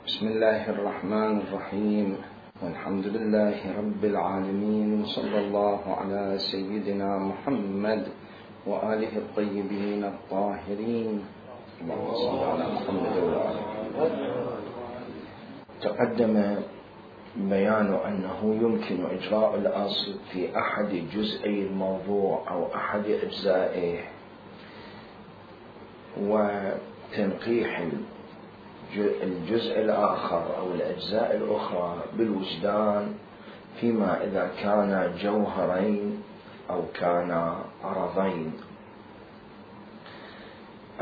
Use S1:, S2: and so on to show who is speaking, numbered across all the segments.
S1: بسم الله الرحمن الرحيم، والحمد لله رب العالمين، وصلى الله على سيدنا محمد وآله الطيبين الطاهرين. اللهم صل على محمد وآله. تقدم بيان أنه يمكن إجراء الأصل في أحد جزئي الموضوع أو أحد أجزائه وتنقيح الجزء الآخر أو الأجزاء الأخرى بالوجدان، فيما إذا كان جوهرين أو كان عرضين.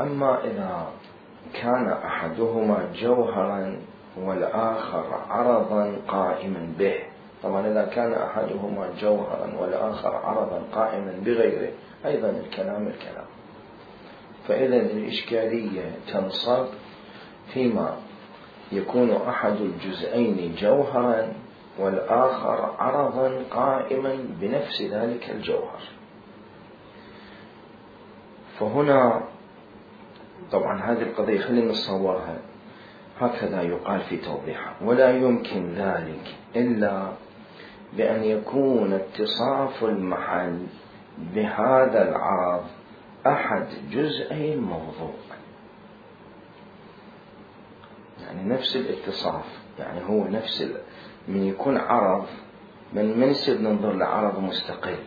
S1: أما إذا كان أحدهما جوهرا والآخر عرضا قائما به، طبعا إذا كان أحدهما جوهرا والآخر عرضا قائما بغيره أيضا الكلام. فإذا الإشكالية تنصب فيما يكون أحد الجزئين جوهرا والآخر عرضا قائما بنفس ذلك الجوهر. فهنا طبعا هذه القضية خلينا نصورها هكذا يقال في توضيحها: ولا يمكن ذلك إلا بأن يكون اتصاف المحل بهذا العرض أحد جزئي الموضوع، يعني نفس الاتصاف، يعني هو نفس من يكون عرض من يصير ننظر لعرض مستقل،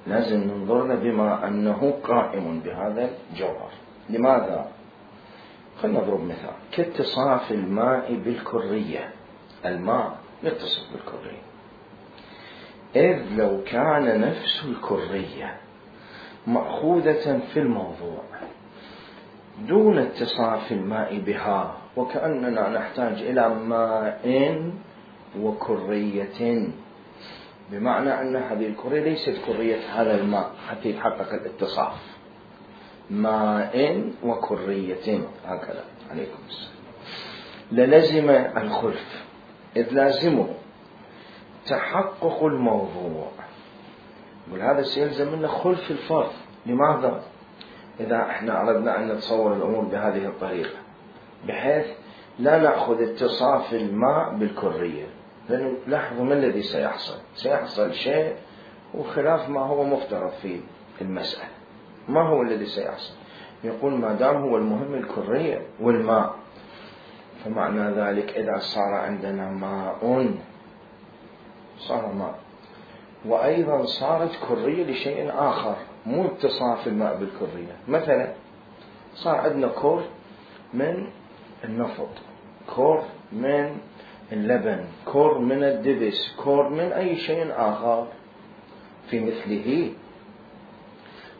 S1: لازم ننظر له بما أنه قائم بهذا الجوهر. لماذا؟ خلنا نضرب مثال كاتصاف الماء بالكرية. الماء يتصف بالكرية، إذ لو كان نفس الكرية مأخوذة في الموضوع دون اتصاف الماء بها، وكأننا نحتاج إلى ماء وكرية، بمعنى أن هذه الكرية ليست كرية هذا الماء حتى يتحقق الاتصاف. ماء وكرية هكذا عليكم السلام. للزم الخلف، إذ لازمه تحقق الموضوع، وهذا سيلزم منه خلف الفرض. لماذا؟ إذا احنا أردنا أن نتصور الأمور بهذه الطريقة بحيث لا نأخذ اتصاف الماء بالكرية، لأنه لاحظوا ما الذي سيحصل شيء وخلاف ما هو مفترض في المسألة. ما هو الذي سيحصل؟ يقول ما دام هو المهم الكرية والماء، فمعنى ذلك إذا صار عندنا ماء صار ماء، وأيضا صارت كرية لشيء آخر مو اتصاف الماء بالكرية. مثلا صار عندنا كور من النفط، كور من اللبن، كور من الدبس، كور من أي شيء آخر في مثله،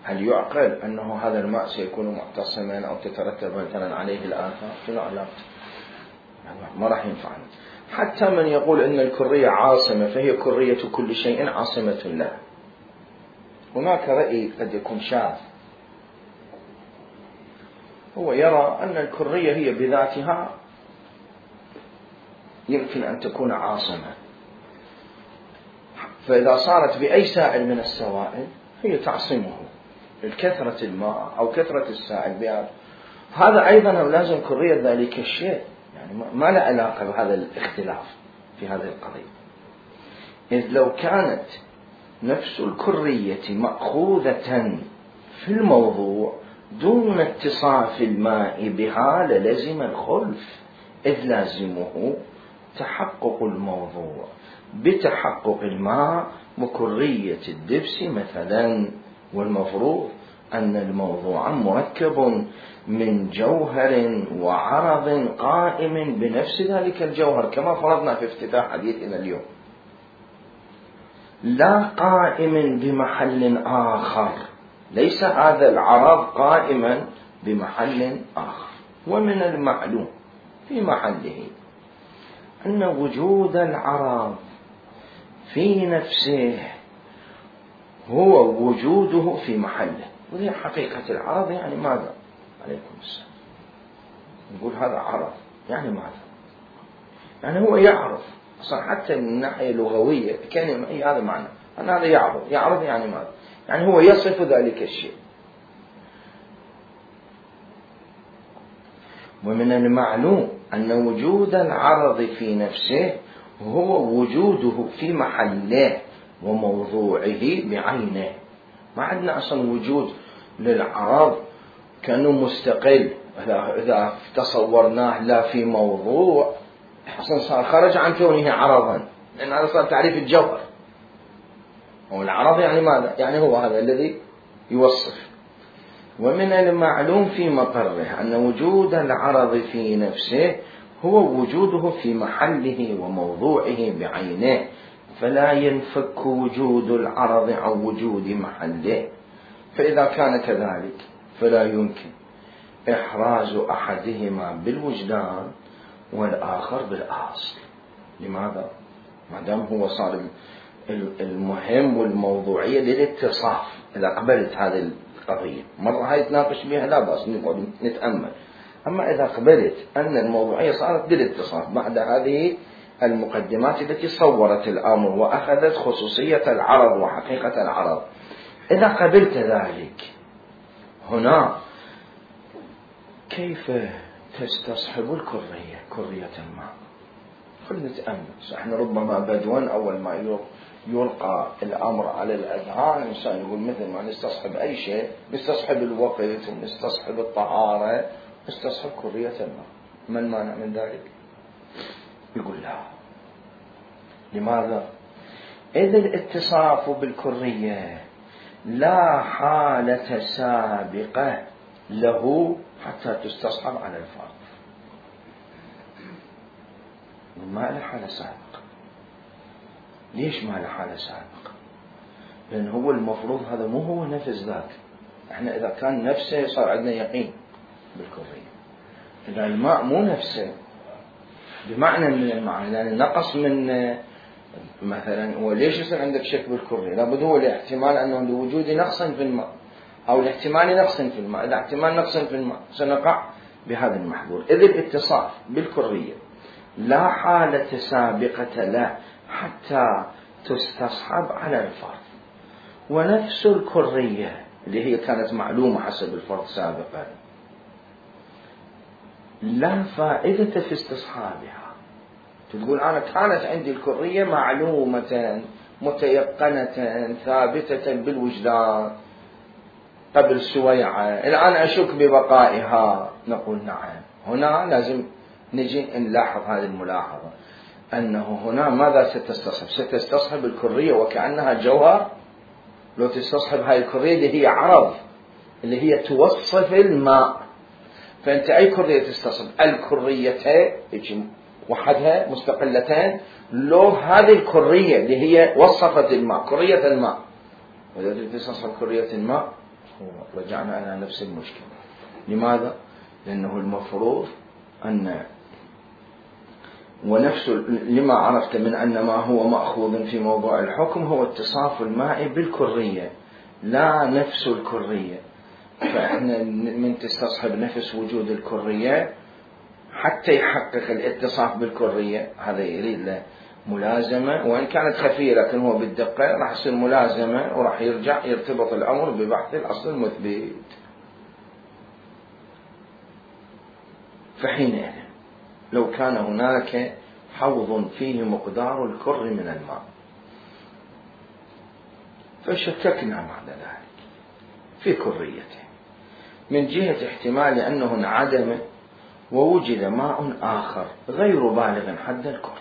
S1: هل يعقل أنه هذا الماء سيكون معتصما أو تترتب مثلا عليه الآثار؟ شنو علاقته؟ ما راح ينفعنا. حتى من يقول أن الكرية عاصمة فهي كرية كل شيء عاصمة له، هناك رأي قد يكون شاذ، هو يرى أن الكرية هي بذاتها يمكن أن تكون عاصمة، فإذا صارت بأي سائل من السوائل هي تعصمه، الكثرة الماء أو كثرة السائل بهذا. هذا أيضا لازم كرية ذلك الشيء، يعني ما له علاقة بهذا الاختلاف في هذه القضية. إذ لو كانت نفس الكرية مأخوذة في الموضوع دون اتصاف الماء بها للزم الخلف، إذ لازمه تحقق الموضوع بتحقق الماء وكرية الدبس مثلا. والمفروض أن الموضوع مركب من جوهر وعرض قائم بنفس ذلك الجوهر، كما فرضنا في افتتاح حديثنا اليوم، لا قائم بمحل آخر، ليس هذا العرض قائما بمحل آخر. ومن المعلوم في محله أن وجود العرض في نفسه هو وجوده في محله. وهي حقيقة العرض يعني ماذا؟ عليكم السلام. نقول هذا عرض يعني ماذا؟ يعني هو يعرض أصلا، حتى من الناحية اللغوية كلمة هذا معنى أن هذا يعرض. يعرض يعني ماذا؟ يعني هو يصف ذلك الشيء. ومن المعلوم أن وجود العرض في نفسه هو وجوده في محله وموضوعه بعينه. ما عندنا أصلا وجود للعرض كأنه مستقل، إذا تصورناه لا في موضوع أصلا صار خرج عن كونه عرضا، لأن هذا صار تعريف الجوهر. والعرض يعني ماذا؟ يعني هو هذا الذي يوصف. ومن المعلوم في مقره أن وجود العرض في نفسه هو وجوده في محله وموضوعه بعينه، فلا ينفك وجود العرض عن وجود محله. فإذا كان كذلك فلا يمكن إحراز أحدهما بالوجدان والآخر بالأصل. لماذا؟ ما دام هو صار المهم والموضوعية للاتصاف. إذا قبلت هذه القضية مرة هاي تناقش بها لا بأس نتأمل، أما إذا قبلت أن الموضوعية صارت للاتصاف بعد هذه المقدمات التي صورت الأمر وأخذت خصوصية العرض وحقيقة العرض، إذا قبلت ذلك هنا كيف تستصحب الكرية، كرية الماء؟ خلنا نتأمل. احنا ربما بدوا أول ما يلقى الأمر على الأذهان الإنسان يقول مثل ما نستصحب أي شيء، نستصحب الوقت ونستصحب الطهارة، نستصحب كرية الماء. ما المانع من ذلك؟ يقول لا. لماذا؟ إذ الاتصاف بالكرية لا حالة سابقة له حتى تستصحب على الفرد. ما له حالة سابقة. ليش ما له حالة سابقة؟ لأن هو المفروض هذا مو هو نفس ذاك. احنا إذا كان نفسه صار عندنا يقين بالكرية. إذا الماء مو نفسه بمعنى من المعنى، لأن نقص من مثلا هو ليش يصير عندك شك بالكرية؟ لابد هو لاحتمال أنه لوجود نقص في الماء أو لاحتمال نقص في الماء. إذا احتمال نقص في الماء سنقع بهذا المحظور. إذ الاتصاف بالكرية لا حالة سابقة له حتى تستصحب على الفرد. ونفس الكرية اللي هي كانت معلومة حسب الفرد سابقا لا فائدة في استصحابها. تقول أنا كانت عندي الكرية معلومة متيقنة ثابتة بالوجدان قبل سويعة، الآن أشك ببقائها. نقول نعم. هنا لازم نجي نلاحظ هذه الملاحظة، أنه هنا ماذا ستستصحب؟ ستستصحب الكرية وكأنها جوهر. لو تستصحب هاي الكرية اللي هي عرض، اللي هي توصف الماء، فأنت أي كرية تستصحب؟ الكريتين وحدها مستقلتين، لو هذه الكرية اللي هي وصفت الماء، كرية الماء، وإذا تستصحب كرية الماء رجعنا إلى نفس المشكلة. لماذا؟ لأنه المفروض أن ونفس لما عرفت من أن ما هو مأخوذ في موضوع الحكم هو اتصاف الماء بالكرية لا نفس الكرية. فإحنا من تستصحب نفس وجود الكرية حتى يحقق الاتصاف بالكرية. هذا يريد له ملازمة، وإن كانت خفية لكن هو بالدقة راح يصير ملازمة، وراح يرجع يرتبط الأمر ببحث الأصل المثبت. فحينئذ لو كان هناك حوض فيه مقدار الكر من الماء فشككنا بعد ذلك في كريته من جهة احتمال أنه انعدم ووجد ماء آخر غير بالغ حد الكر،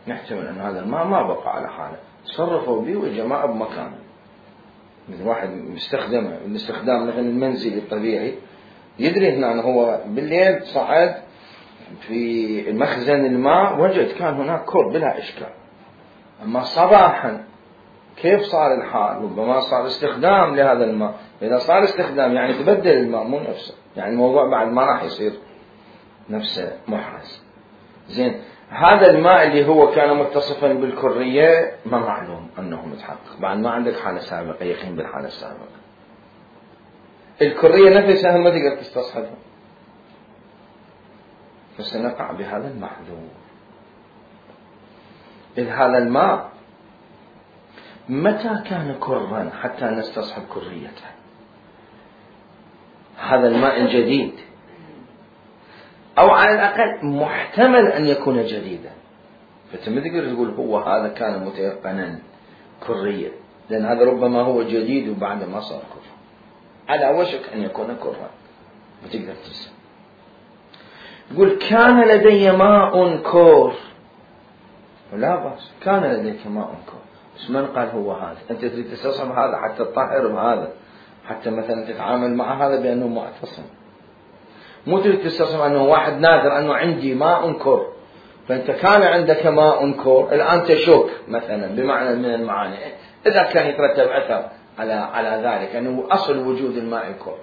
S1: نحتمل أن هذا الماء ما بقى على حاله، تصرفوا به وجماعة بمكانه. مثل واحد مستخدمه الاستخدام مثل المنزلي الطبيعي، يدري هنا أنه هو بالليل صعد في مخزن الماء وجد كان هناك كر بلا إشكال. أما صباحا كيف صار الحال؟ ربما صار استخدام لهذا الماء. إذا صار استخدام يعني تبدل الماء مو نفسه، يعني الموضوع بعد ما راح يصير نفسه محرز. زين، هذا الماء اللي هو كان متصفا بالكرية ما معلوم أنه متحقق، بعد ما عندك حالة سابقة يقين بالحالة السابقة. الكرية نفسها ما تقدر تستصحبها، فسنقع بهذا المحذور. إذ هذا الماء متى كان كرا حتى نستصحب كريته؟ هذا الماء الجديد أو على الأقل محتمل أن يكون جديدا. فأنت ما تقدر تقول هو هذا كان متيقنا كريا، لأن هذا ربما هو جديد وبعد ما صار كر، على وشك أن يكون كرا، ما تقدر تنسى. يقول كان لدي ماء كور، لا بأس، كان لديك ماء كور، بس من قال هو هذا؟ أنت تريد تستصحب هذا حتى تطهر بهذا، حتى مثلا تتعامل مع هذا بأنه معتصم، مو تريد تستصحب أنه واحد ناظر أنه عندي ماء كور، فأنت كان عندك ماء كور الآن تشك مثلا بمعنى من المعاني، إذا كان يترتب أثر على ذلك أنه أصل وجود الماء الكور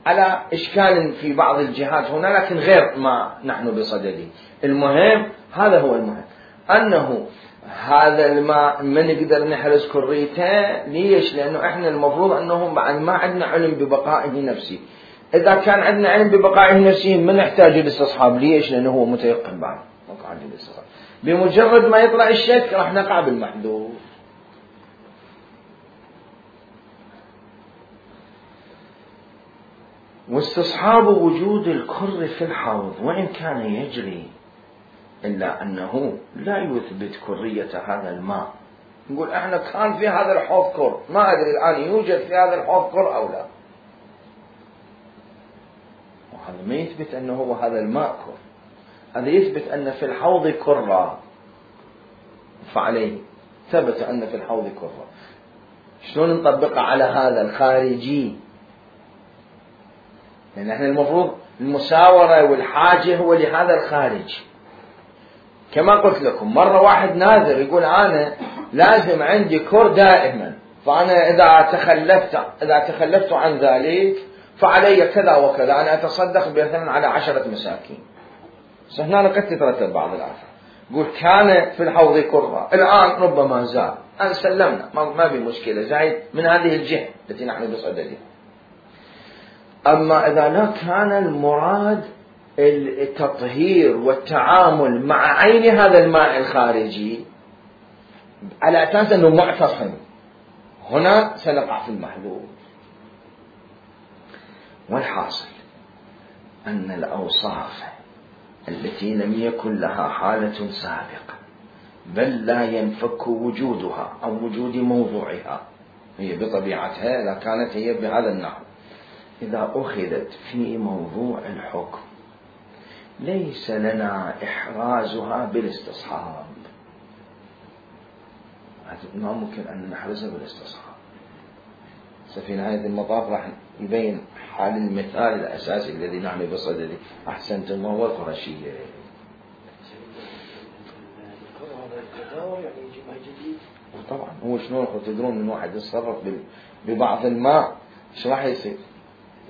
S1: على إشكال في بعض الجهات هنا، لكن غير ما نحن بصدده. المهم هذا هو المهم، أنه هذا الماء ما نقدر نحرز كريته. ليش؟ لأنه إحنا المفروض أنه بعد ما عندنا علم ببقائه نفسي. إذا كان عندنا علم ببقائه نفسي ما نحتاج للاستصحاب. ليش؟ لأنه هو متيقن بعد، ما قاعد للاستصحاب. بمجرد ما يطلع الشك راح نقع بالمحذور. واستصحاب وجود الكر في الحوض وإن كان يجري، إلا أنه لا يثبت كرية هذا الماء. نقول إحنا كان في هذا الحوض كر، ما أدري الآن يوجد في هذا الحوض كر أو لا، وهذا ما يثبت أنه هو هذا الماء كر، هذا يثبت أن في الحوض كرة، فعليه ثبت أن في الحوض كرة. شلون نطبقها على هذا الخارجي؟ لأن احنا المفروض المساورة والحاجة هو لهذا الخارج. كما قلت لكم مرة واحد ناظر يقول أنا لازم عندي كر دائما، فأنا إذا تخلفت عن ذلك فعلي كذا وكذا، أنا أتصدق مثلا على 10 مساكين. هنا قد تترتب بعض الآثار. يقول كان في الحوض كرة، الآن ربما زاد، أن سلمنا ما في مشكلة، زايد من هذه الجهة التي نحن بصددها. أما إذا لا كان المراد التطهير والتعامل مع عين هذا الماء الخارجي على أساس أنه معتصم، هنا سنقع في المحذور. والحاصل أن الأوصاف التي لم يكن لها حالة سابقة بل لا ينفك وجودها أو وجود موضوعها، هي بطبيعتها إذا كانت هي بهذا النحو، إذا أخذت في موضوع الحكم ليس لنا إحرازها بالاستصحاب. ما ممكن أن نحرزها بالاستصحاب. في نهاية المطاف راح يبين حال المثال الأساسي الذي نحن بصدده. أحسنتم، وهو القرشية. طبعا هو شنو تدرون من واحد يتصرف ببعض الماء شو راح يصير؟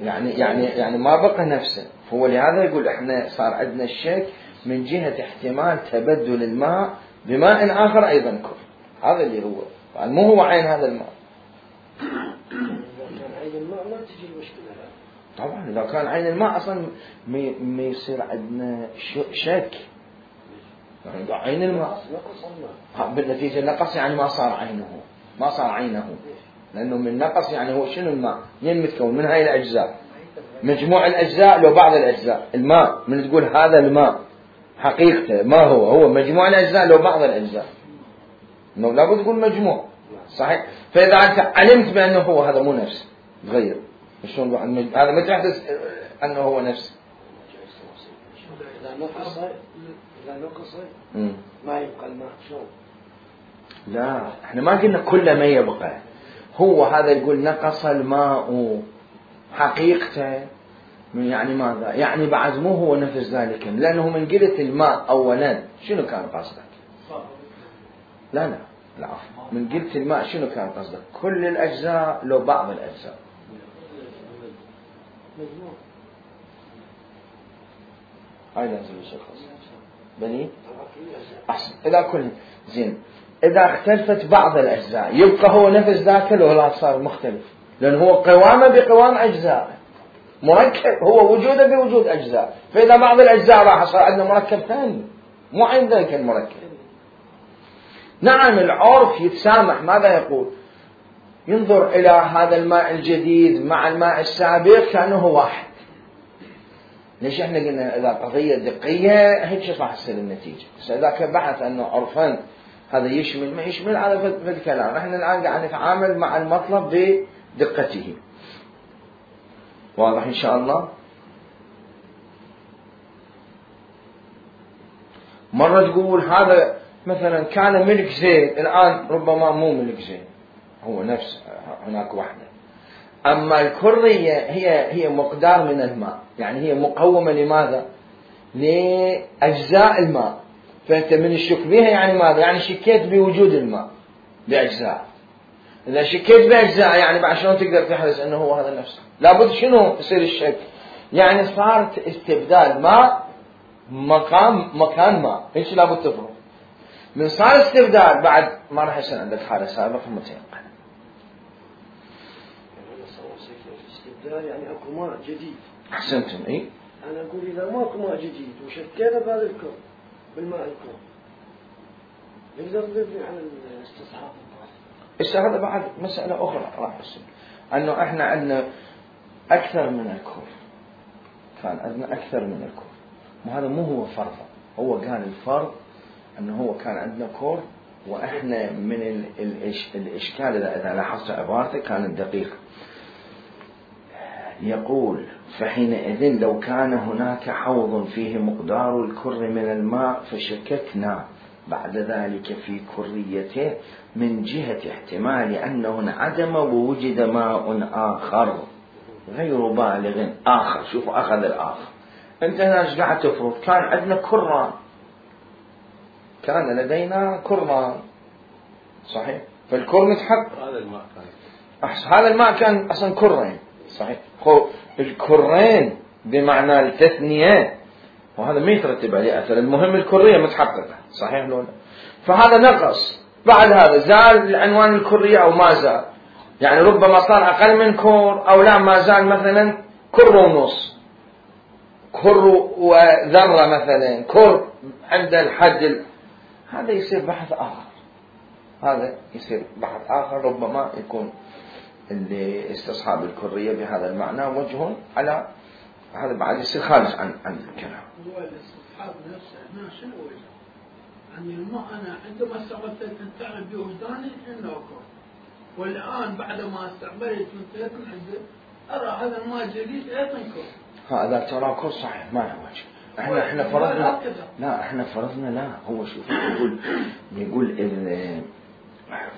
S1: يعني ما بقى نفسه. هو لهذا يقول احنا صار عندنا الشك من جهة احتمال تبدل الماء بماء آخر أيضا كر. هذا اللي هو مو هو عين هذا الماء.
S2: إذا كان عين الماء ما تجي المشكلة.
S1: طبعا إذا كان عين الماء أصلا ما يصير عندنا شك. يعني عين الماء بالنتيجة نقص، يعني ما صار عينه، لأنه من نقص يعني هو شنو الماء؟ منين متكون؟ من هاي الأجزاء، مجموع الأجزاء لو بعض الأجزاء. الماء من تقول هذا الماء حقيقته ما هو مجموع الأجزاء لو بعض الأجزاء، إنه لابد تقول مجموع صحيح. فإذا أنت علمت بأنه هو هذا مو نفس غير، شلون هذا ما تحدث أنه هو نفس.
S2: إذا نقص ما يبقى الماء شلون؟
S1: لا احنا ما قلنا كل ما يبقى، هو هذا يقول نقص الماء حقيقته، يعني ماذا؟ يعني بعد مو هو نفس ذلك، لأنه من قلة الماء أولا شنو كان قصدك؟ لا من قلة الماء شنو كان قصدك؟ كل الأجزاء لو بعض الأجزاء. هاي لازم يشخص بني أحسن. إذا كل زين إذا اختلفت بعض الأجزاء يبقى هو نفس ذاك لو لا صار مختلف، لأن هو قوامه بقوام أجزاء، مركب هو وجوده بوجود أجزاء. فإذا بعض الأجزاء راح صار عندنا مركب ثاني مو عند ذلك المركب. نعم العرف يتسامح، ماذا يقول؟ ينظر إلى هذا الماء الجديد مع الماء السابق كأنه واحد، ليش احنا قلنا اذا قضية دقية هيك راح تصير النتيجة. بس اذا كان بحث انه عرفان هذا يشمل ما يشمل على في الكلام، احنا الان قاعد نتعامل مع المطلب بدقته. واضح ان شاء الله؟ مرة تقول هذا مثلا كان ملك زيد، الان ربما مو ملك زيد، هو نفس هناك واحدة. اما الكرية هي مقدار من الماء، يعني هي مقومة لماذا؟ لأجزاء الماء. فأنت من الشك بها يعني ماذا؟ يعني شكيت بوجود الماء بأجزاء. إذا شكيت بأجزاء يعني بعد شلون تقدر تحرز أنه هو هذا نفسه؟ لابد شنو يصير الشك؟ يعني صارت استبدال ماء مكان ماء، هيك لابد تفرق. من صار استبدال بعد ما راح يصير عندك حالة سابقة متيقنة.
S2: يعني اكو ماء جديد.
S1: احسنتم. اي
S2: انا اقول اذا ماكو ماء جديد وشكينا بهذا الكون بالماء الكون نقدر نبني على الاستصحاب.
S1: هذا بعد مسألة أخرى راح تصير، أنه إحنا عندنا أكثر من الكون، كان عندنا أكثر من الكون، وهذا مو هو فرض. هو كان الفرض أنه هو كان عندنا كور، وإحنا من الإشكال إذا لاحظت عبارته كانت دقيقة. يقول فحينئذ لو كان هناك حوض فيه مقدار الكر من الماء فشككنا بعد ذلك في كريته من جهة احتمال أنه انعدم ووجد ماء آخر غير بالغ آخر. شوفوا أخذ الآخر. أنت هنا قاعد تفرض كان عندنا كران، كان لدينا كران صحيح، فالكر متحقق. هذا الماء كان أصلا كرين صحيح. الكرين بمعنى التثنية، وهذا ما يترتب عليه أثر، المهم الكرية متحققة صحيح لولا. فهذا نقص، بعد هذا زال عنوان الكرية أو ما زال، يعني ربما صار أقل من كور أو لا ما زال مثلا كر ونص، كر وذرة مثلا، كر عند الحد هذا يصير بحث آخر. هذا يصير بحث آخر، ربما يكون اللي استصحاب الكرية بهذا المعنى وجه على هذا بعد يصير خارج عن الكلام.
S3: هو الاستصحاب نفسه هنا شنو وجه؟ يعني الماء أنا عندما استعملت الإنسان بوجداني إنه كون، والآن بعد ما استعملت وانتهيت من عنده أرى هذا الماء جديد أيضا كون.
S1: هذا ترى كون صحيح ما له وجه. احنا فرضنا لا، احنا فرضنا لا. هو شوف يقول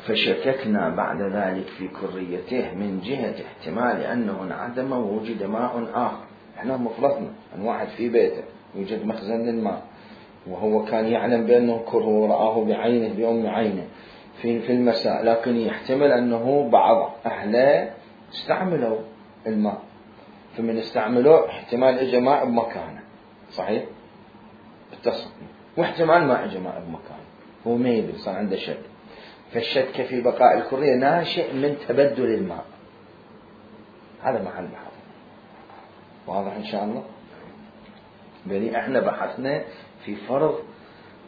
S1: فشككنا بعد ذلك في كريته من جهة احتمال أنه انعدم ووجد ماء آخر. احنا مفرضنا أن واحد في بيته يوجد مخزن للماء، وهو كان يعلم بأنه كر ورآه بعينه بيوم عينه في المساء، لكن يحتمل أنه بعض أهله استعملوا الماء، فمن استعملوا احتمال اجى ماء بمكانه صحيح اتصل، واحتمال ما اجى ماء بمكانه، هو ما يدري صار عنده شك. فالشك في بقاء الكرية ناشئ من تبدل الماء. هذا محل بحث واضح إن شاء الله. بني احنا بحثنا في فرض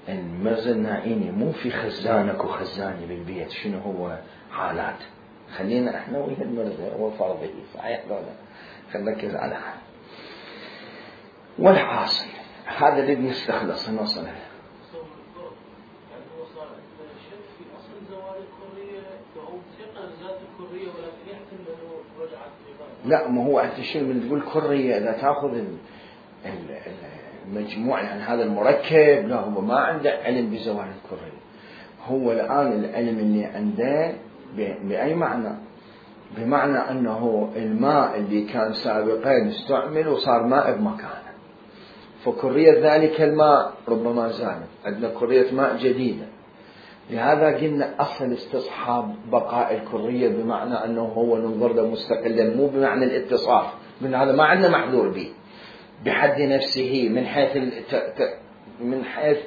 S1: المرزا النائيني، مو في خزانك وخزاني بالبيت شنو هو حالات. خلينا احنا ويا المرزا وفرضه صحيح ولا خلينا على هذا. والحاصل هذا اللي نستخلص نوصل له. لا، ما هو أنت شو من تقول كرية إذا تأخذ المجموع يعني هذا المركب، لا هو ما عنده علم بزوال الكرية. هو الآن العلم اللي عنده بأي معنى؟ بمعنى أنه الماء اللي كان سابقا استعمل وصار ماء بمكانه، فكرية ذلك الماء ربما زالت، عندنا كرية ماء جديدة. لهذا قلنا أصل استصحاب بقاء الكرية بمعنى أنه هو ننظر له مستقلا، مو بمعنى الاتصاف، من هذا ما عندنا محذور به بحد نفسه من حيث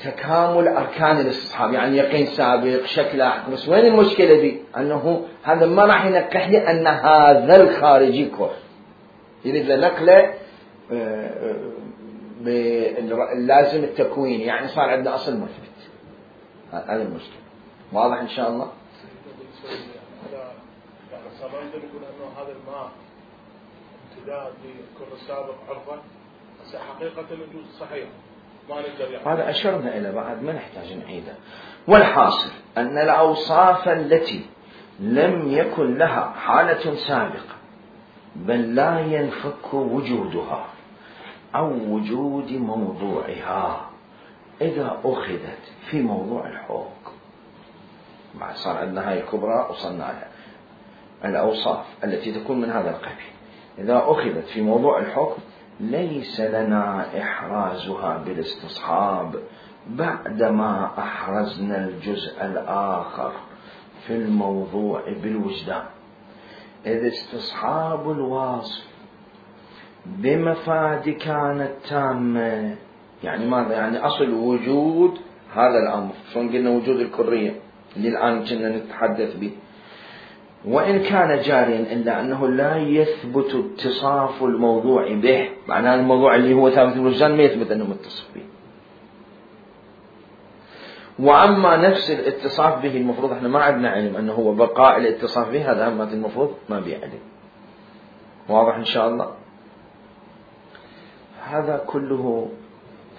S1: تكامل أركان الاستصحاب، يعني يقين سابق شكل أحد. بس وين المشكلة دي؟ أنه هذا ما راح ينقح لي أن هذا الخارجي كر، يريد نقله لازم التكوين، يعني صار عندنا أصل مثبت. هذا المشكلة واضح إن شاء الله.
S4: نقول أنه هذا الماء امتداد للكر السابق عرفا، حقيقة الوجود صحيح ما نقدر يعني.
S1: هذا أشرنا إلى بعد ما نحتاج نعيده. والحاصل أن الأوصاف التي لم يكن لها حالة سابقة بل لا ينفك وجودها أو وجود موضوعها إذا أخذت في موضوع الحكم. بعد صار عندنا هاي الكبرى وصلنا لها. الأوصاف التي تكون من هذا القبيل إذا أخذت في موضوع الحكم ليس لنا إحرازها بالاستصحاب بعدما أحرزنا الجزء الآخر في الموضوع بالوجدان. إذ استصحاب الواصف بمفاد كانت تامة، يعني ماذا؟ يعني أصل وجود هذا الأمر، شلون قلنا وجود الكرية اللي الآن كنا نتحدث به، وإن كان جاريا إلا أنه لا يثبت اتصاف الموضوع به، معناه الموضوع اللي هو ثابت بالوجدان ما يثبت أنه متصف به. وأما نفس الاتصاف به المفروض احنا ما عندنا علم أنه هو بقاء الاتصاف به، هذا هم المفروض ما بيعلم. واضح إن شاء الله؟ هذا كله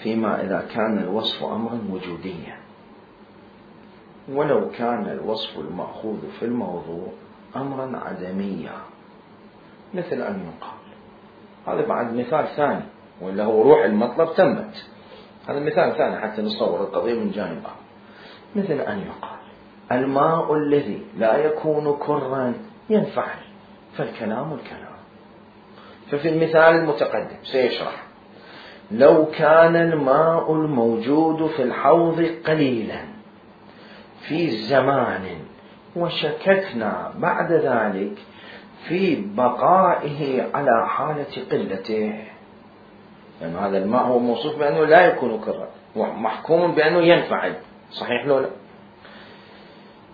S1: فيما إذا كان الوصف أمرا وجوديا. ولو كان الوصف المأخوذ في الموضوع أمرا عدميا مثل أن يقال، هذا بعد مثال ثاني ولا هو روح المطلب تمت، هذا مثال ثاني حتى نصور القضية من جانب آخر. مثل أن يقال الماء الذي لا يكون كرا ينفعل، فالكلام الكلام. ففي المثال المتقدم سيشرح لو كان الماء الموجود في الحوض قليلا في زمان وشككنا بعد ذلك في بقائه على حالة قلته، يعني هذا الماء هو موصوف بأنه لا يكون كرا ومحكوم بأنه ينفعل، صحيح لو لا؟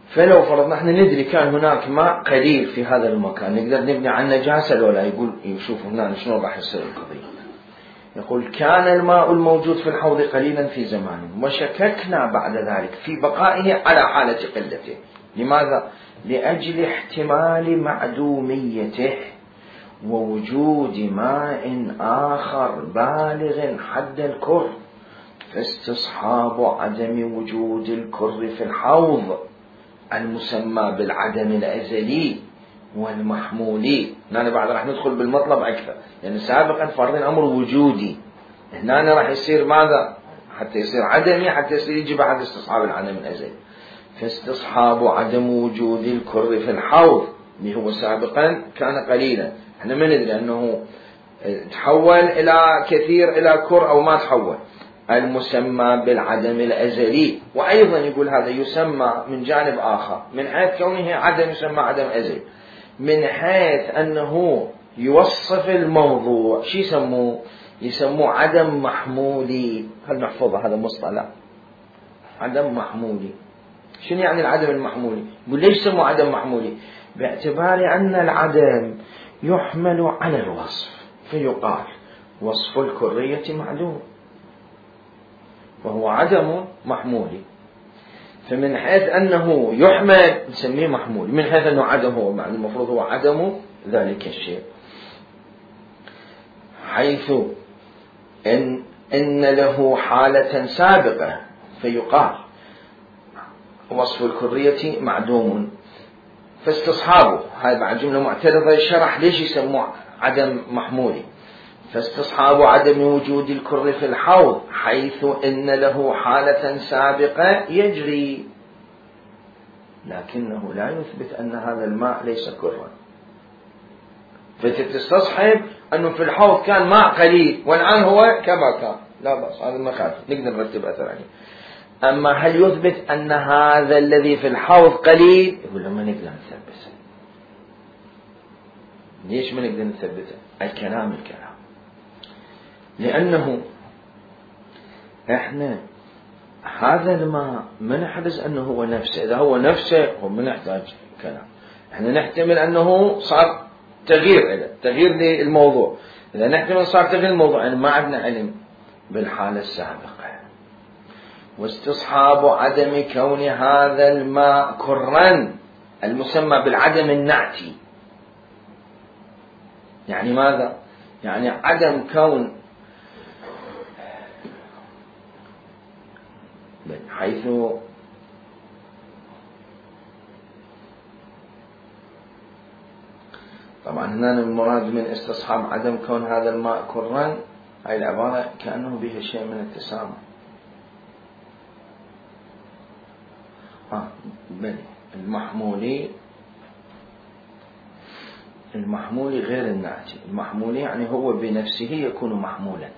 S1: فلو فرضنا احنا ندري كان هناك ماء قليل في هذا المكان نقدر نبني عن نجاسة لو لا؟ يقول يشوف هنا شنو راح يصير القضية. يقول كان الماء الموجود في الحوض قليلا في زمان وشككنا بعد ذلك في بقائه على حالة قلته. لماذا؟ لأجل احتمال معدوميته ووجود ماء آخر بالغ حد الكر، فاستصحاب عدم وجود الكر في الحوض المسمى بالعدم الأزلي والمحمولي. هنا بعد راح ندخل بالمطلب أكثر، يعني سابقا فرضين أمر وجودي، هنا راح يصير ماذا؟ حتى يصير عدمي، حتى يصير يجي بعد استصحاب العدم الأزلي. فاستصحاب عدم وجود الكر في الحوض اللي هو سابقا كان قليلا، احنا ما ندري أنه تحول إلى كثير إلى كر أو ما تحول، المسمى بالعدم الأزلي. وأيضا يقول هذا يسمى من جانب آخر من حيث كونه عدم يسمى عدم أزلي، من حيث أنه يوصف الموضوع شي يسموه؟ يسموه عدم محمولي. هل محفوظة هذا مصطلح عدم محمولي؟ شنو يعني العدم المحمولي؟ يقول ليش يسموه عدم محمولي؟ باعتبار أن العدم يحمل على الوصف، فيقال وصف الكرية معلوم وهو عدم محمولي، فمن حيث أنه يحمل نسميه محمول، من حيث أنه عدم هو معنى المفروض هو عدم ذلك الشيء، حيث إن له حالة سابقة فيقال وصف الكرية معدوم. فاستصحابه هذا بعد جملة معترضة يشرح ليش يسموه عدم محمولي. فاستصحاب عدم وجود الكر في الحوض حيث إن له حالة سابقة يجري، لكنه لا يثبت أن هذا الماء ليس كرا. فتستصحب أنه في الحوض كان ماء قليل والآن هو كما كان، لا بأس، هذا ما خالف، نقدر نرتب أثر عليه. أما هل يثبت أن هذا الذي في الحوض قليل؟ يقول لما نقدر نثبته. ليش ما نقدر نثبته؟ الكلام لأنه احنا هذا الماء ما نحرز أنه هو نفسه، إذا هو نفسه هو ما نحتاج كلام، احنا نحتمل أنه صار تغيير للموضوع. إذا نحتمل صار تغيير الموضوع يعني ما عندنا علم بالحالة السابقة. واستصحاب عدم كون هذا الماء كرا المسمى بالعدم النعتي، يعني ماذا؟ يعني عدم كون حيث طبعا هنا المراد من استصحاب عدم كون هذا الماء كرا، هاي العبارة كأنه بها شيء من التسامح. بل المحمولي غير الناتي. المحمولي يعني هو بنفسه يكون محمولا،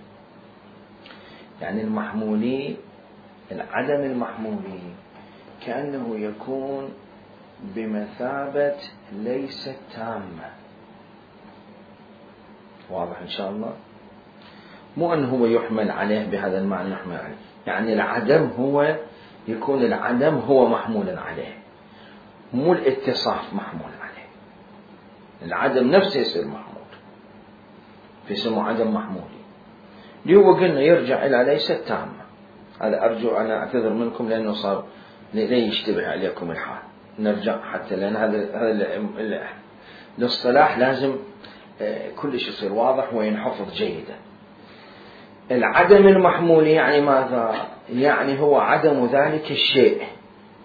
S1: يعني المحمولي العدم المحمولي كأنه يكون بمثابة ليست تامة. واضح إن شاء الله؟ مو أنه هو يحمل عليه بهذا المعنى يحمل عليه، يعني العدم هو يكون العدم هو محمولا عليه، مو الاتصاف محمول عليه. العدم نفسه يصير محمول، فيسمى عدم محمولي. اللي هو قلنا يرجع إلى ليست تامة. هذا أرجو أنا أعتذر منكم لأنه صار لا يشتبه عليكم الحال. نرجع حتى لأن هذا الاصطلاح لازم كل شيء يصير واضح وينحفظ جيدا. العدم المحمولي يعني ماذا؟ يعني هو عدم ذلك الشيء،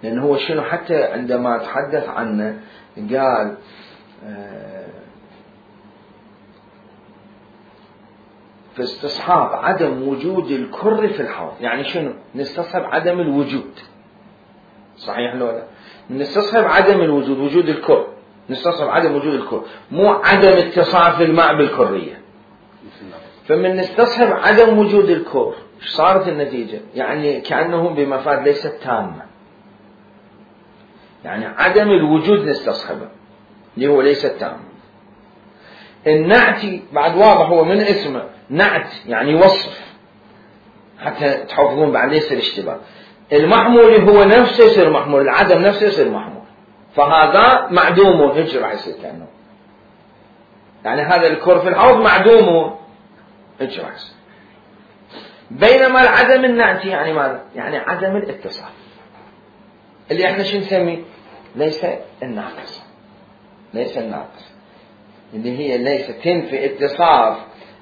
S1: لأنه هو شنو حتى عندما تحدث عنه قال في استصحاب عدم وجود الكر في الحوض. يعني شنو؟ نستصحب عدم الوجود، صحيح لو لا؟ نستصحب عدم الوجود، وجود الكر، نستصحب عدم وجود الكر، مو عدم اتصاف الماء بالكرية. فمن نستصحب عدم وجود الكر ايش صارت النتيجة؟ يعني كأنه بمفاد ليست تامة، يعني عدم الوجود نستصحبه اللي هو ليست تامة. النعتي بعد واضح، هو من اسمه نعت يعني وصف، حتى تحفظون بعد ليس الاشتباه. المحمول هو نفسه يصير محمول، العدم نفسه يصير محمول، فهذا معدوم. هيك راح يصير كأنه يعني هذا الكر في الحوض معدوم، هيك راح يصير. بينما العدم النعتي يعني ماذا؟ يعني عدم الاتصال، اللي احنا شو نسميه؟ ليس الناقص، ليس الناقص، اللي هي ليس تنفي اتصاف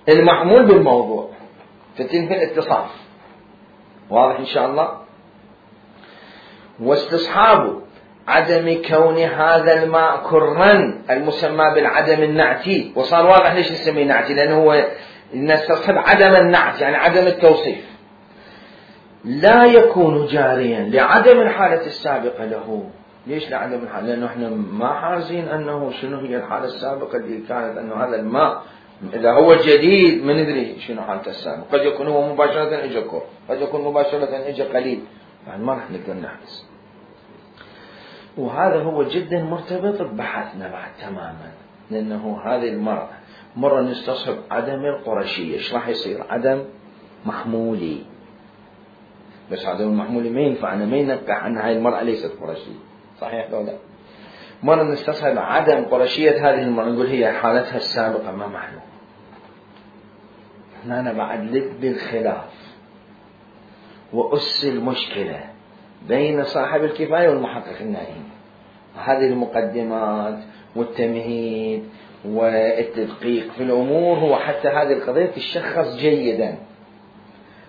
S1: المحمول بالموضوع، فتنفي الاتصاف. واضح إن شاء الله؟ واستصحاب عدم كون هذا الماء كرا المسمى بالعدم النعتي. وصار واضح ليش نسميه نعتي، لأنه هو نستصحب عدم النعت يعني عدم التوصيف، لا يكون جاريا لعدم الحالة السابقة له. ليش لعدم الحالة؟ لأنه احنا ما حارزين أنه شنو هي الحالة السابقة اللي كانت، أنه هذا الماء إذا هو جديد ما ندري شنو حالته السابقة. قد يكون هو مباشرة إجا كور، قد يكون مباشرة إجا قليل، يعني ما راح نقدر نحرز. وهذا هو جدا مرتبط ببحثنا بعد تماما، لأنه هذه المرة مرة نستصحب عدم القرشية. إيش راح يصير؟ عدم محمولي. بس عدم المحمولي ما ينفعنا، ما ينقح أن هاي المرأة ليست قرشية، صحيح لو لا؟ مرة نستصحب عدم قرشية هذه المرأة، نقول هي حالتها السابقة ما معلوم. هنا بعد لب الخلاف وأس المشكلة بين صاحب الكفاية والمحقق النائم. هذه المقدمات والتمهيد والتدقيق في الأمور هو حتى هذه القضية تشخص جيدا.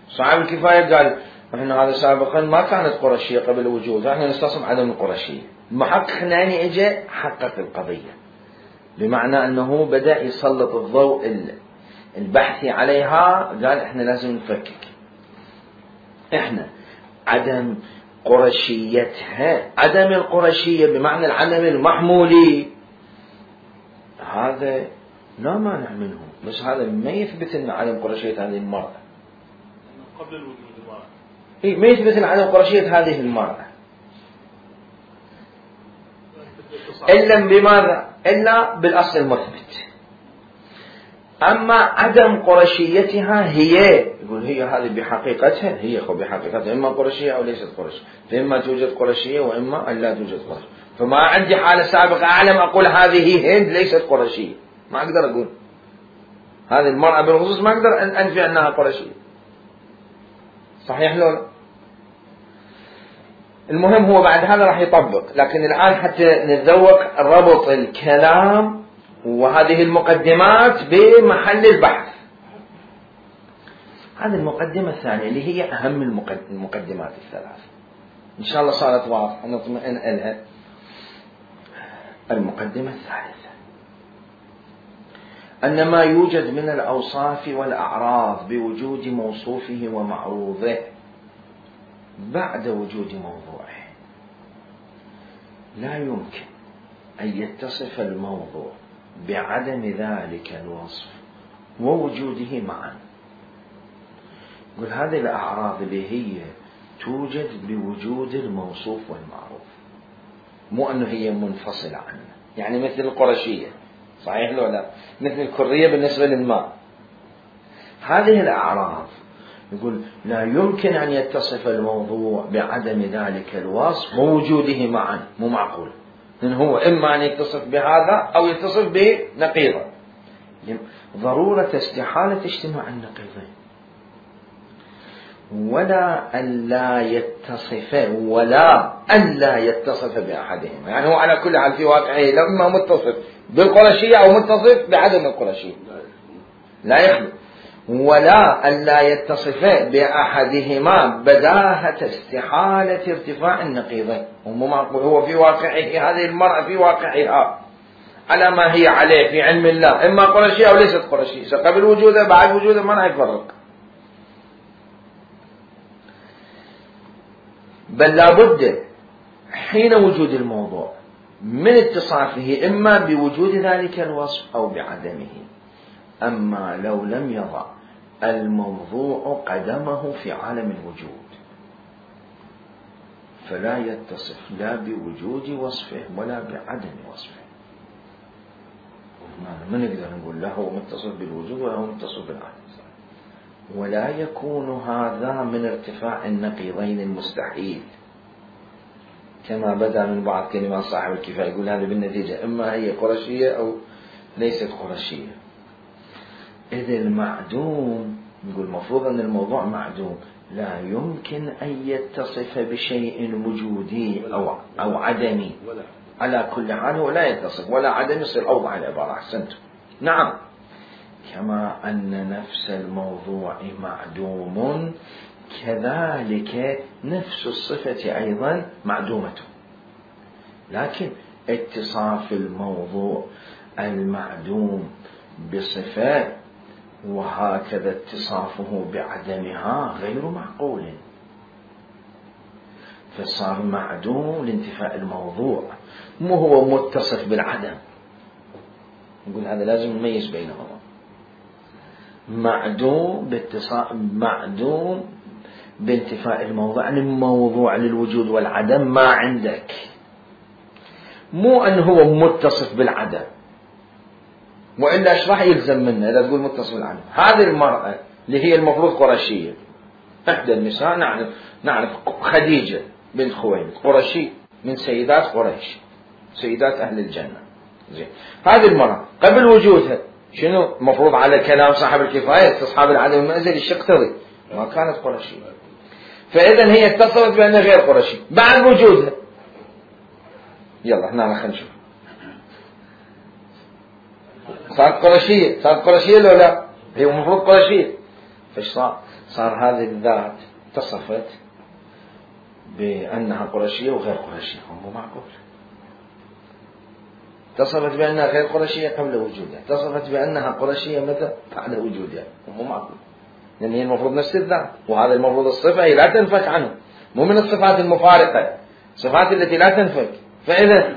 S1: صاحب الكفاية قال إحنا هذا سابقا ما كانت قرشية قبل وجودها، إحنا نستصحب عدم القرشية. المحقق النائم إجا حقق القضية، بمعنى أنه بدأ يسلط الضوء البحثي عليها. قال إحنا لازم نفكك، إحنا عدم قرشيتها، عدم القرشية بمعنى العدم المحمولي، هذا لا مانع منه، بس هذا ما يثبت أن عدم قرشية هذه المرأة
S4: قبل الوجود
S1: المرأة. ما يثبت أن عدم قرشية هذه المرأة إلا بماذا؟ إلا بالأصل المثبت. أما عدم قرشيتها هي، يقول هي هذه بحقيقتها، هي بحقيقتها إما قرشية أو ليست قرشية، فإما توجد قرشية وإما أن لا توجد قرشية. فما عندي حالة سابقة أعلم أقول هذه هند ليست قرشية، ما أقدر أقول هذه المرأة بالخصوص، ما أقدر أن أنفي أنها قرشية، صحيح لولا؟ المهم هو بعد هذا راح يطبق، لكن الآن حتى نتذوق ربط الكلام وهذه المقدمات بمحل البحث. هذه المقدمة الثانية اللي هي أهم المقدمات الثلاث، إن شاء الله صارت واضحة نطمئن إلها. المقدمة الثالثة أن ما يوجد من الأوصاف والأعراض بوجود موصوفه ومعروضه بعد وجود موضوعه لا يمكن أن يتصف الموضوع بعدم ذلك الوصف ووجوده معا. يقول هذه الأعراض اللي هي توجد بوجود الموصوف والمعروف، مو أنه هي منفصلة عنه، يعني مثل القرشية، صحيح لو لا؟ مثل الكرية بالنسبة للماء. هذه الأعراض يقول لا يمكن أن يتصف الموضوع بعدم ذلك الوصف ووجوده معا، مو معقول، لأن هو إما أن يتصف بهذا أو يتصف بنقيضه، ضرورة استحالة اجتماع النقيضين، ولا ألا يتصف بأحدهما. يعني هو على كل حال في واقعه لما متصف بالقرشية أو متصف بعدم القرشية لا يخلو، ولا ألا يتصف بأحدهما بداهة استحالة ارتفاع النقيضين. هو في واقعه هذه المرأة في واقعها على ما هي عليه في علم الله، إما قرشية أو ليست قرشية، قبل وجوده بعد وجوده ما راح يفرق، بل لابد حين وجود الموضوع من اتصافه إما بوجود ذلك الوصف أو بعدمه. أما لو لم يضع الموضوع قدمه في عالم الوجود فلا يتصف لا بوجود وصفه ولا بعدم وصفه. ما نقدر نقول لا هو متصف بالوجود ولا هو متصف بالعدم، ولا يكون هذا من ارتفاع النقيضين المستحيل كما بدأ من بعض كلمات صاحب الكفاية، يقول هذا بالنتيجة إما هي قرشية أو ليست قرشية. إذ المعدوم يقول المفروض أن الموضوع معدوم لا يمكن أن يتصف بشيء وجودي أو عدمي، على كل حال هو لا يتصف ولا عدم، يصير أوضح العبارة. أحسنتم. نعم، كما أن نفس الموضوع معدوم كذلك نفس الصفة أيضا معدومة، لكن اتصاف الموضوع المعدوم بصفة وهكذا اتصافه بعدمها غير معقول، فصار معدوم لانتفاء الموضوع، مو هو متصف بالعدم. نقول هذا لازم نميز بينهما، معدوم بانتفاء الموضوع، يعني الموضوع للوجود والعدم ما عندك، مو أنه هو متصف بالعدم، وإلا إيش راح يلزم منه إذا تقول متصف بالعدم. هذه المرأة اللي هي المفروض قرشية، إحدى النساء نعرف خديجة بنت خويلد قرشي من سيدات قريش، سيدات أهل الجنة. زين، هذه المرأة قبل وجودها شنو مفروض على كلام صاحب الكفاية استصحاب العدم المنزل الشيء يقتضي ما كانت قرشية، فإذا هي اتصلت بأنها غير قرشي بعد وجودها. يلا هنا خلينا نشوف صارت قرشية لو لا؟ هي المفروض قرشية. فايش صار هذه الذات اتصفت بأنها قرشية وغير قرشية، مو معقول. اتصفت بأنها غير قرشية قبل وجودها، اتصفت بأنها قرشية متى بعد وجودها، مو معقول، لأن هي المفروض نفس الذات، وهذا المفروض الصفة هي لا تنفك عنه، مو من الصفات المفارقة، الصفات التي لا تنفك. فإذا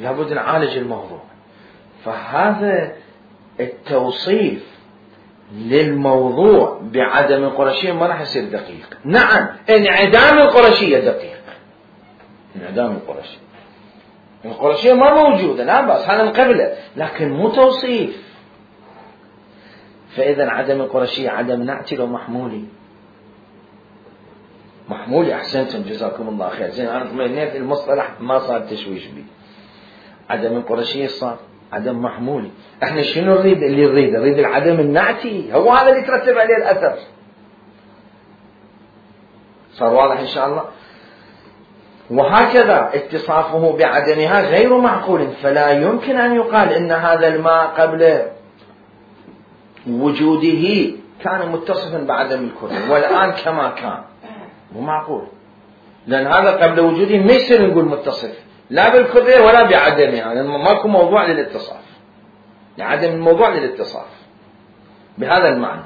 S1: لابد نعالج الموضوع. فهذا التوصيف للموضوع بعدم القرشية ما راح يصير دقيق. نعم، انعدام القرشية دقيق، انعدام القرشية ما موجودة، لا بأس، هذا من قبله، لكن مو توصيف. فإذا عدم القرشية عدم نعتي ومحمولي. محمولي، أحسنتم جزاكم الله خير. زين، أنا طمئنيت المصطلح ما صار تشويش بي. عدم القرشية صار عدم محمولي. احنا شنو نريد؟ اللي نريد العدم النعتي، هو هذا اللي يترتب عليه الأثر. صار واضح إن شاء الله؟ وهكذا اتصافه بعدمها غير معقول، فلا يمكن أن يقال إن هذا الماء قبل وجوده كان متصفا بعدم الكرية والآن كما كان، مو معقول، لأن هذا قبل وجوده ما يصير نقول متصف لا بالكرية ولا بعدمها، يعني ماكو موضوع للاتصاف، عدم الموضوع للاتصاف بهذا المعنى.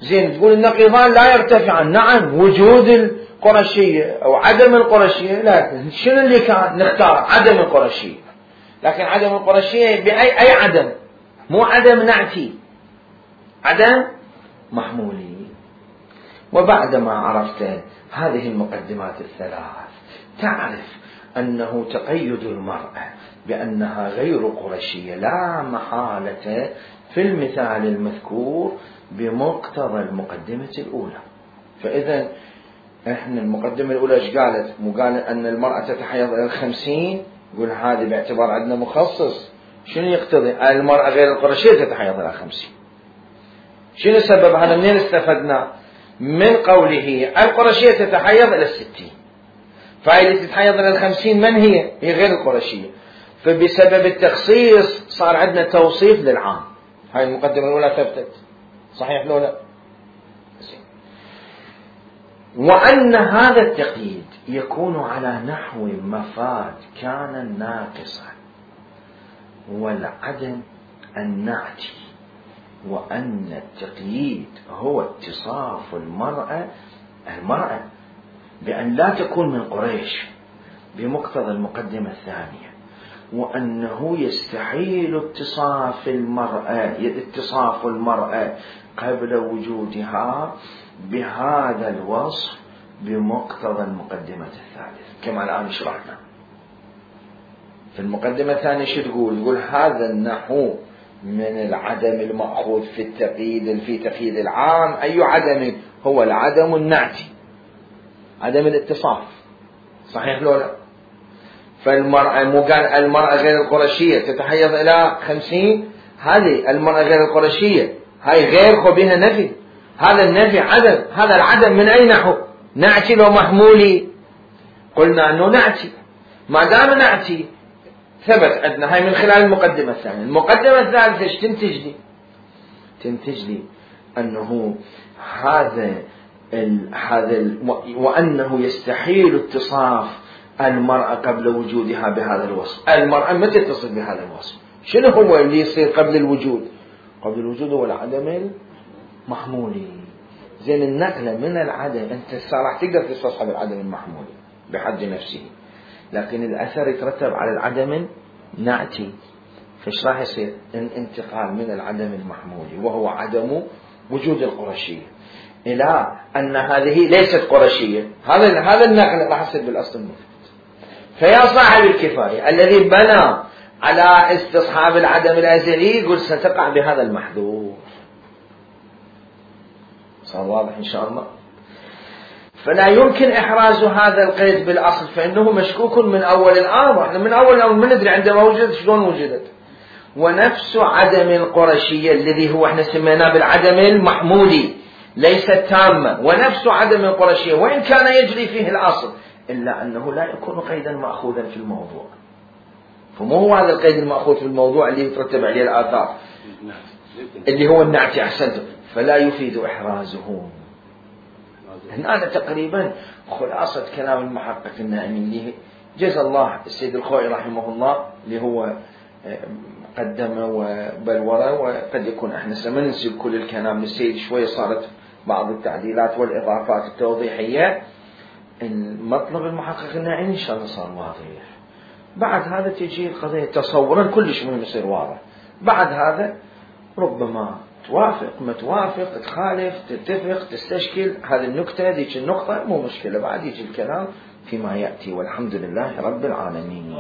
S1: زين تقول النقيضان لا يرتفعان، نعم وجود القرشية أو عدم القرشية، لكن شنو اللي كان نختار؟ عدم القرشية، لكن عدم القرشية بأي عدم؟ مو عدم نعتي، عدم محمولي. وبعدما عرفت هذه المقدمات الثلاث تعرف أنه تقيد المرأة بأنها غير قرشية لا محالة في المثال المذكور بمقتضى المقدمة الأولى. فإذا إحنا المقدمة الأولى إيش قالت؟ مو قال أن المرأة تتحيض إلى 50، يقول هذه باعتبار عندنا مخصص. شنو يقتضي؟ المرأة غير القرشية تتحيض إلى 50. شنو السبب هذا؟ منين استفدنا؟ من قوله القرشية تتحيض إلى 60، فهي تتحيض إلى 50 من هي؟ هي غير القرشية، فبسبب التخصيص صار عندنا توصيف للعام. هاي المقدمة الأولى ثبتت، صحيح لو لا؟ وأن هذا التقييد يكون على نحو مفاد كان ناقصا والعدم النعتي، وأن التقييد هو اتصاف المرأة بأن لا تكون من قريش بمقتضى المقدمة الثانية، وأنه يستحيل اتصاف المرأة قبل وجودها بهذا الوصف بمقتضى المقدمة الثالثة كما الآن شرحنا. في المقدمة الثانية شو تقول؟ تقول هذا النحو من العدم المأخوذ في التقييد في تقييد العام. أي عدم؟ هو العدم النعتي، عدم الاتصاف، صحيح لو لا؟ فالمرأة مو قال المرأة غير القرشية تتحيض إلى 50، هذه المرأة غير القرشية هاي غير خو بها نفي، هذا النفي عدم، هذا العدم من أي نحو؟ نعتي لو محمولي؟ قلنا أنه نعتي، ما دام نعتي ثبت عندنا هاي من خلال المقدمة الثانية. المقدمة الثالثة ايش تنتج لي؟ تنتج لي أنه وأنه يستحيل اتصاف المرأة قبل وجودها بهذا الوصف. المرأة متى تتصف بهذا الوصف؟ شنو هو اللي يصير قبل الوجود؟ قبل الوجود هو العدم المحمولي. زين النقلة من العدم أنت راح تقدر تستصحب العدم المحمولي بحد نفسه، لكن الأثر يترتب على العدم النعتي. فايش راح يصير؟ انتقال من العدم المحمولي وهو عدم وجود القرشية إلى أن هذه ليست قرشية. هذا النقل راح يصير بالأصل المثبت. فيا صاحب الكفاية الذي بنى على استصحاب العدم الأزلي يقول ستقع بهذا المحذور. صار واضح إن شاء الله؟ فلا يمكن إحراز هذا القيد بالأصل، فإنه مشكوك من أول الأمر. احنا من أول الأمر ما ندري عندما وجدت شلون وجدت. ونفس عدم القرشية الذي هو احنا سميناه بالعدم المحمولي ليست تامة، ونفس عدم القرشية وإن كان يجري فيه الأصل إلا أنه لا يكون قيدا مأخوذا في الموضوع. فمو هو هذا القيد المأخوذ في الموضوع اللي يترتب عليه الآثار اللي هو النعتي، أحسنتم، فلا يفيد إحرازه. هنا تقريبا خلاصة كلام المحقق النائمي اللي جزا الله السيد الخوئي رحمه الله اللي هو قدم وبلورة، وقد يكون احنا سننسب كل الكلام للسيد شوية، صارت بعض التعديلات والإضافات التوضيحية. المطلب المحقق النائمي إن شاء الله صار واضح. بعد هذا تجي القضية تصورا كلش مهم يصير واضح. بعد هذا ربما توافق ما توافق، تخالف تتفق تستشكل، هذه النكتة ذيك النقطة مو مشكلة، بعد يجي الكلام فيما يأتي، والحمد لله رب العالمين.